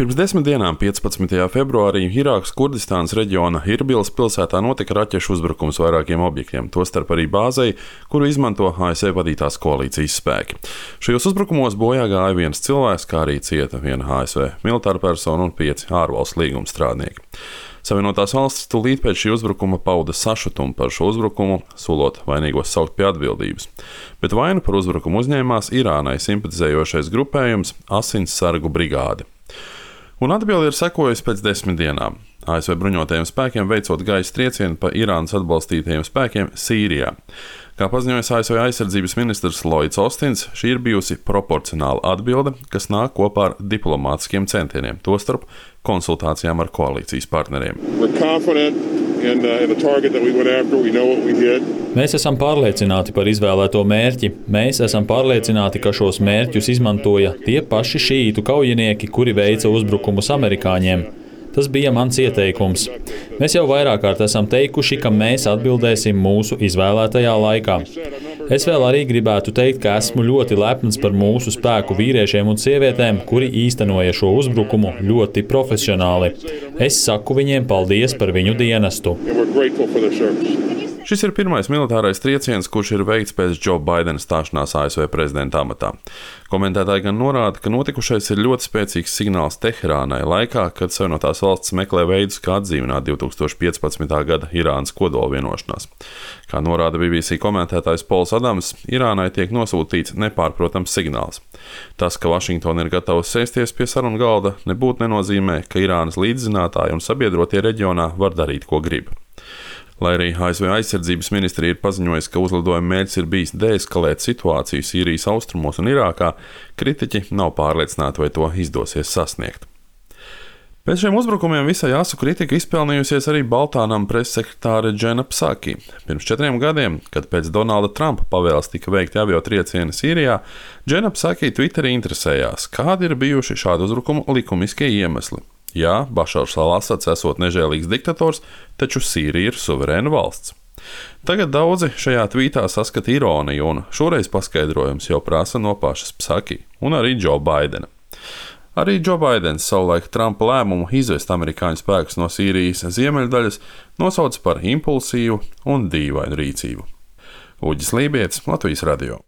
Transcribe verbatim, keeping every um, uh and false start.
Pirms desmit dienām, piecpadsmitajā februārī, Irākas Kurdistānas reģiona Irbilas pilsētā notika raķešu uzbrukums vairākiem objektiem, tostarp arī bāzei, kuru izmanto A S V vadītās koalīcijas spēki. Šajos uzbrukumos bojā gāja viens cilvēks, kā arī cieta viena A S V militāra persona un pieci ārvalstu līgumstrādnieki. Savienotās valstis tūlīt pēc šī uzbrukuma pauda sašutumu par šo uzbrukumu, solot vainīgos saukt pie atbildības. Bet vainu par uzbrukumu uzņēmās Irānai simpatizējošais grupējums Asinsargu brigāde. Un atbilde ir sekojusi pēc desmit dienām. A S V bruņotajiem spēkiem veicot gaisa triecienu pa Irānas atbalstītajiem spēkiem Sīrijā. Kā paziņoja A S V aizsardzības ministrs Lloyds Austins, šī ir bijusi proporcionāla atbilde, kas nāk kopā ar diplomātiskiem centieniem, tostarp konsultācijām ar koalīcijas partneriem. And, uh, and the target that we went after, we know what we did. Mēs esam pārliecināti par izvēlēto mērķi. Mēs esam pārliecināti, ka šos mērķus izmantoja tie paši šītu kaujinieki, kuri veica uzbrukumus amerikāņiem. Tas bija mans ieteikums. Mēs jau vairāk kārt esam teikuši, ka mēs atbildēsim mūsu izvēlētajā laikā. Es vēl arī gribētu teikt, ka esmu ļoti lepns par mūsu spēku vīriešiem un sievietēm, kuri īstenoja šo uzbrukumu ļoti profesionāli. Es saku viņiem paldies par viņu dienestu. Šis ir pirmais militārais trieciens, kurš ir veikts pēc Džo Baidena stāšanās A S V prezidenta amatā. Komentētāji gan norāda, ka notikušais ir ļoti spēcīgs signāls Teherānai laikā, kad Savienotās valstis meklē veidus, kā atdzīvināt divi tūkstoši piecpadsmitā gada Irānas kodola vienošanās. Kā norāda B B C komentētājs Pols Adams, Irānai tiek nosūtīts nepārprotams signāls. Tas, ka Vašingtona ir gatava sēsties pie sarunu galda, nebūtu nenozīmē, ka Irānas līdzzinātāji un sabiedrotie reģionā var darīt, ko grib. Lai arī A S V aizsardzības ministrija ir paziņojusi, ka uzlidojuma mērķis ir bijis deeskalēt situāciju Sīrijas austrumos un Irākā, kritiķi nav pārliecināti, vai to izdosies sasniegt. Pēc šiem uzbrukumiem visai asu kritika izpelnījusies arī Baltānam pressekretāre Džena Psaki. Pirms četriem gadiem, kad pēc Donalda Trumpa pavēles tika veikti aviotriecieni Sīrijā, Džena Psaki Twitterī interesējās, kādi ir bijuši šādu uzbrukumu likumiskie iemesli. Jā, Bašars al-Asads esot nežēlīgs diktators, taču Sīrija ir suverēna valsts. Tagad daudzi šajā tvītā saskata ironiju, un šoreiz paskaidrojums jau prasa no pašas Psaki un arī Džo Baidena. Arī Džo Baidens savulaik Trumpa lēmumu izvest amerikāņu spēkus no Sīrijas ziemeļdaļas nosauca par impulsīvu un dīvainu rīcību. Uģis Lībietis, Latvijas radio.